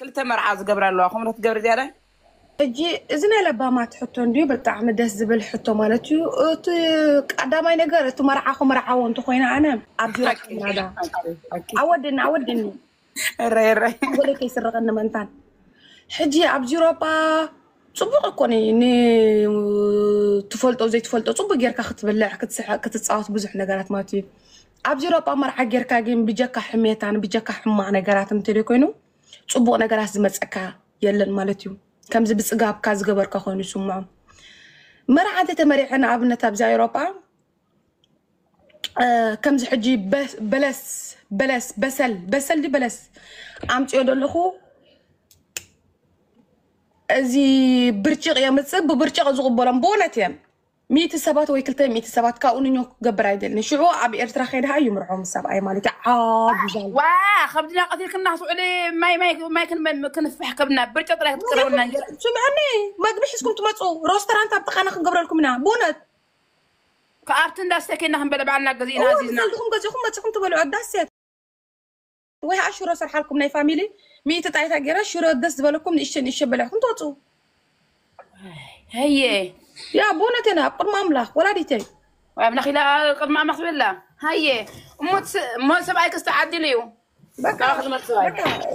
ክልተ መርዓ ዝገብራ ኣለዋ። ከምኡ ትገብሪ ዝያዳ? ሕጂ እዚ ናይ ለባማት ሕቶ እንድዩ ብጣዕሚ ደስ ዝብል ሕቶ ማለት እዩ። እቲ ቀዳማይ ነገር፣ እቲ መርዓኹ መርዓዎ እንተኮይነ፣ ኣነ ኣብዚ ረክብናዳ ኣወድኒ ኣወድኒ ረይ ረይ ወለ ከይስረቀኒ መንታን። ሕጂ ኣብዚ ኤውሮጳ ጽቡቅ እኮ ኒ ንትፈልጦ ዘይትፈልጦ ጽቡቅ ጌርካ ክትብልዕ ክትስሐቅ ክትጻወት ብዙሕ ነገራት ማለት እዩ። ኣብዚ ኤውሮጳ መርዓ ጌርካ ግን ብጀካ ሕሜታን ብጀካ ሕማቅ ነገራት እንተደ ኮይኑ ጽቡቅ ነገራት ዝመጸካ የለን ማለት እዩ። ከምዚ ብጽጋብካ ዝገበርካ ኮይኑ ይስምዖ። መርዓ እንተተመሪዐ ንኣብነት ኣብዚ ኤውሮጳ ከምዚ ሕጂ በለስ በለስ በሰል በሰል ዲ በለስ ኣምፅዮ ዘለኹ እዚ ብርጭቕ የምፅእ ብብርጭቕ ዝቕበሎም ብእውነት እየን። ሚእቲ ሰባት ወይ ክልተ ሚእቲ ሰባት ካብኡ ንኞ ክገብር ኣይደልን። ሽዑ ኣብ ኤርትራ ከይድሃ እዩ ምርዖ ምስ ሰብኣይ ማለት እዩ። ዓቢ ዛል ዋ ከብድና ቀቲልክና ስዑዲ ማይ ማይ ማይ ክንመ- ክንፍሕ ከብድና ብርጭቕ ጥራይ ክትቅረብና እንጀራ ስምዕኒ፣ መግቢ ሒዝኩም ትመፁ፣ ሮስተራንት ኣብ ጥቃና ክንገብረልኩም ኢና ብእውነት። ከኣብቲ እንዳስተኬና ክንበለ ባዕልና ገዚእና ኣዚዝና ሰልድኹም ገዚኹም መፅኹም ትበልዑ ኣዳሴት ወይ ከዓ ሽሮ ሰርሓልኩም ናይ ፋሚሊ ሚእቲ ጣይታ ገይረ ሽሮ ደስ ዝበለኩም ንእሸ ንእሸ በልዕኩም ትወፁ። ሀየ ያ ብእውነት ና ኣብ ቅድሚ ኣምላኽ ወላዲተይ ወይ ኣምላኽ ኢላ ቅድሚ ኣምላኽ ትብላ። ሀየ እሞ ሰብኣይ ክስተዓድል እዩ። በቃ በቃ ክትመልስዋ እዩ። በቃ